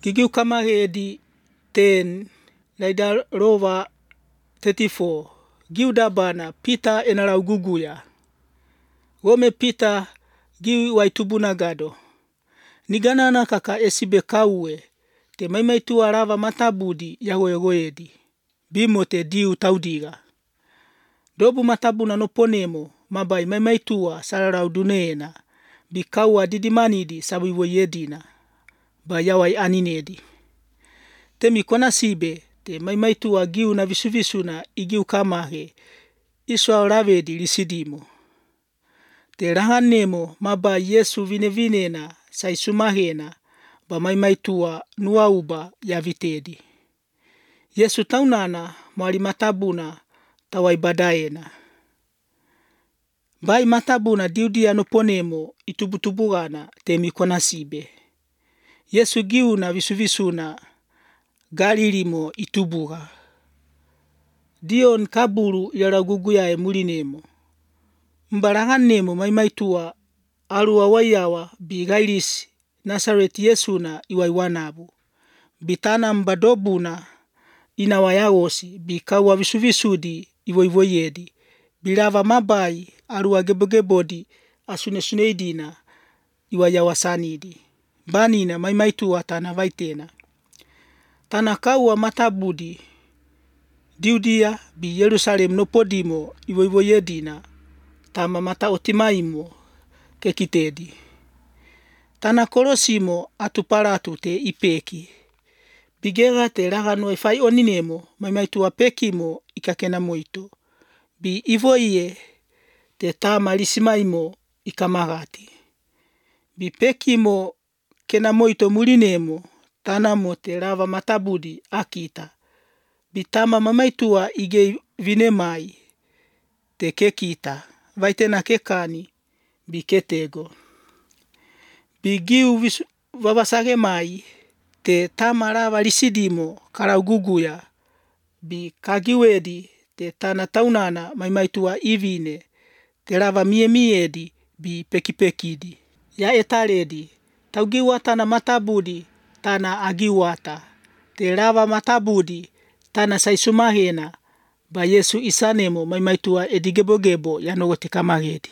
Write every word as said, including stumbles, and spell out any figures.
Gigiu kamagedi ten laida rova thirty-four. Giu dabana Peter enarau guguya. Gome Peter giu waitubuna gado. Niganana kaka esibe kaue. Te maimaitu arava matabudi yagoegoedi. Bimo te diu taudiga. Dobu matabuna no ponemo mabai maimaitua sararau duneena. Bi kaua didimanidi sabiwo yedina. Ba yawai aninedi. Temi kona sibe te maimaitua giu na visuvisuna igiu kamage. Iswa ravedi lisidimo. Te rahanemo mabai Yesu vinevinena saisumahena. Ba maimaitua nuauba yavitedi. Yesu taunana mwari matabuna tawai badaena. Bai matabuna diudia no ponemo itubutubugana temi kona sibe. Yesu giu na visuvisuna galilimo itubuga. Dion kaburu yaraguguya e mulinemo. Mbaranganemo maimaitua arua wayawa bigailis Nazaret Yesu na iwaiwanabu. Bitana mbadobuna inawayagosi bikawa visuvisudi iwoiwoyedi. Bilava mabai arua gebogebodi asunesuneidina iwayawasanidi. Banina maimaitua tana vaitena. Tana kaua matabudi diudia bi Yerusalem no podimo iwoiwoyedina tama mata otimaimo kekitedi. Tana korosimo atuparatu te ipeki. Bigera te ragano e fai oninemo maimaitua pekimo ikakena moito. Bi ivoie te tama lisimaimo ikamagati. Bi pekimo kena moito mulinemo tana mo te rava matabudi akita. Bi tama mamaitua ige vinemai te kekita. Vaitena kekani bi ketego. Bi giu vavasage mai te tama rava lisidimo karauguguya. Bi kagiwedi te tana taunana maimaitua ivine. Te rava mie miedi bi pekipekidi. Ya etaredi. Taugiwa tana matabudi tana agiwata. Te rava matabudi tana saisumahena. Ba Yesu isanemo maimaitua edigebogebo yanogote kamagedi.